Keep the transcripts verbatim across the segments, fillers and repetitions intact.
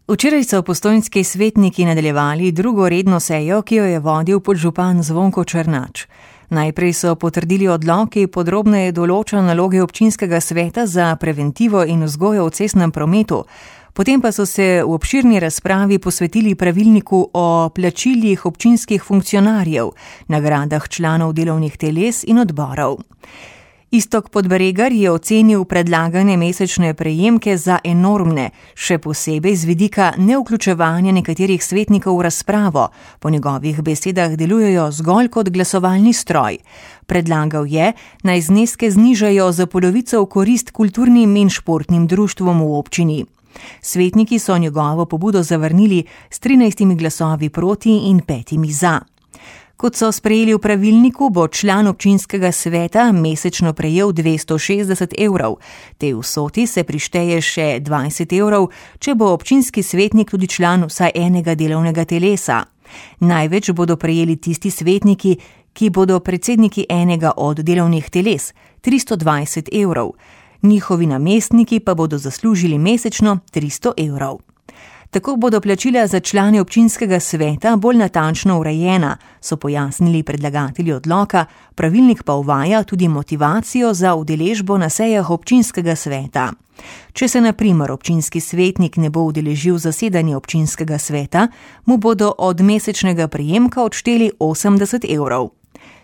Včeraj so postojnski svetniki nadaljevali drugo redno sejo, ki jo je vodil podžupan Zvonko Černač. Najprej so potrdili odlok, ki podrobneje določa naloge občinskega sveta za preventivo in vzgojo v cestnem prometu. Potem pa so se v obširni razpravi posvetili pravilniku o plačilih občinskih funkcionarjev, nagradah članov delovnih teles in odborov. Iztok Podbregar je ocenil predlagane mesečne prejemke za enormne, še posebej z vidika nevključevanja nekaterih svetnikov v razpravo. Po njegovih besedah delujejo zgolj kot glasovalni stroj. Predlagal je, naj zneske znižajo za polovico v korist kulturnim in športnim društvom v občini. Svetniki so njegovo pobudo zavrnili s trinajstimi glasovi proti in petimi za. Kot so sprejeli v pravilniku, bo član občinskega sveta mesečno prejel dvesto šestdeset evrov. Tej vsoti se prišteje še dvajset evrov, če bo občinski svetnik tudi član vsaj enega delovnega telesa. Največ bodo prejeli tisti svetniki, ki bodo predsedniki enega od delovnih teles, tristo dvajset evrov. Njihovi namestniki pa bodo zaslužili mesečno tristo evrov. Tako bodo plačila za člane občinskega sveta bolj natančno urejena, so pojasnili predlagatelji odloka, pravilnik pa uvaja tudi motivacijo za udeležbo na sejah občinskega sveta. Če se na primer občinski svetnik ne bo udeležil zasedanja občinskega sveta, mu bodo od mesečnega prejemka odšteli osemdeset evrov.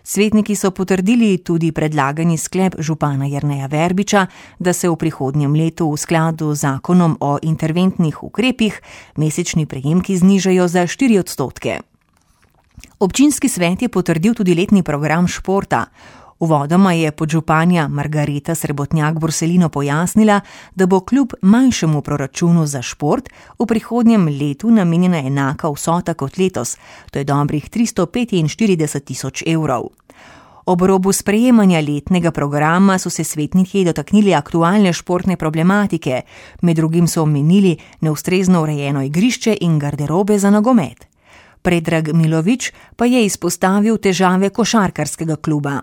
Svetniki so potrdili tudi predlagani sklep župana Jerneja Verbiča, da se v prihodnjem letu v skladu z zakonom o interventnih ukrepih mesečni prejemki znižajo za štiri odstotke. Občinski svet je potrdil tudi letni program športa. Uvodoma je podžupanja Margareta Srebotnjak-Borselino pojasnila, da bo kljub manjšemu proračunu za šport v prihodnjem letu namenjena enaka vsota kot letos, to je dobrih tristo petinštirideset tisoč evrov. Ob robu sprejemanja letnega programa so se svetniki dotaknili aktualne športne problematike, med drugim so omenili neustrezno urejeno igrišče in garderobe za nogomet. Predrag Milovič pa je izpostavil težave košarkarskega kluba.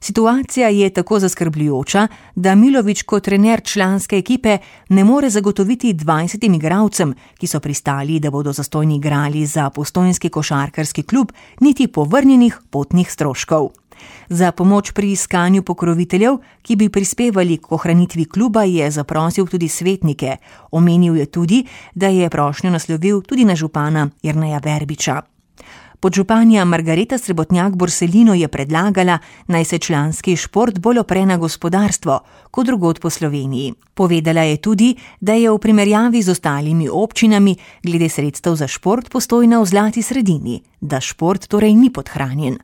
Situacija je tako zaskrbljujoča, da Milovič kot trener članske ekipe ne more zagotoviti dvajsetim igralcem, ki so pristali, da bodo zastonj igrali za postojnski košarkarski klub, niti povrnjenih potnih stroškov. Za pomoč pri iskanju pokroviteljev, ki bi prispevali k ohranitvi kluba, je zaprosil tudi svetnike. Omenil je tudi, da je prošnjo naslovil tudi na župana Jerneja Verbiča. Podžupanja Margareta Srebotnjak-Borselino je predlagala, naj se članski šport bolj opre na gospodarstvo, kot drugod po Sloveniji. Povedala je tudi, da je v primerjavi z ostalimi občinami glede sredstev za šport Postojna v zlati sredini, da šport torej ni podhranjen.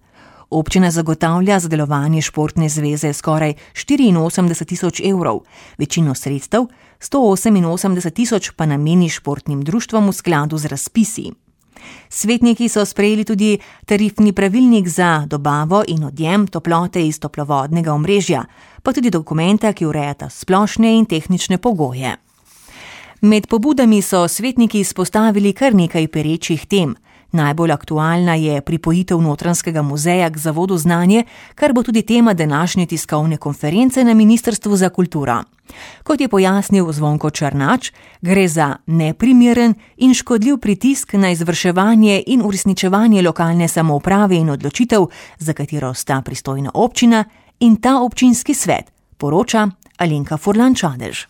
Občina zagotavlja za delovanje športne zveze skoraj štiriinosemdeset tisoč evrov, večino sredstev, sto oseminosemdeset tisoč pa nameni športnim društvom v skladu z razpisi. Svetniki so sprejeli tudi tarifni pravilnik za dobavo in odjem toplote iz toplovodnega omrežja, pa tudi dokumenta, ki urejata splošne in tehnične pogoje. Med pobudami so svetniki izpostavili kar nekaj perečih tem. Najbolj aktualna je pripojitev Notranjskega muzeja k Zavodu Znanje, kar bo tudi tema današnje tiskovne konference na Ministrstvu za kulturo. Kot je pojasnil Zvonko Černač, gre za neprimeren in škodljiv pritisk na izvrševanje in uresničevanje lokalne samouprave in odločitev, za katero sta pristojna občina in ta občinski svet, poroča Alenka Furlan Čadež.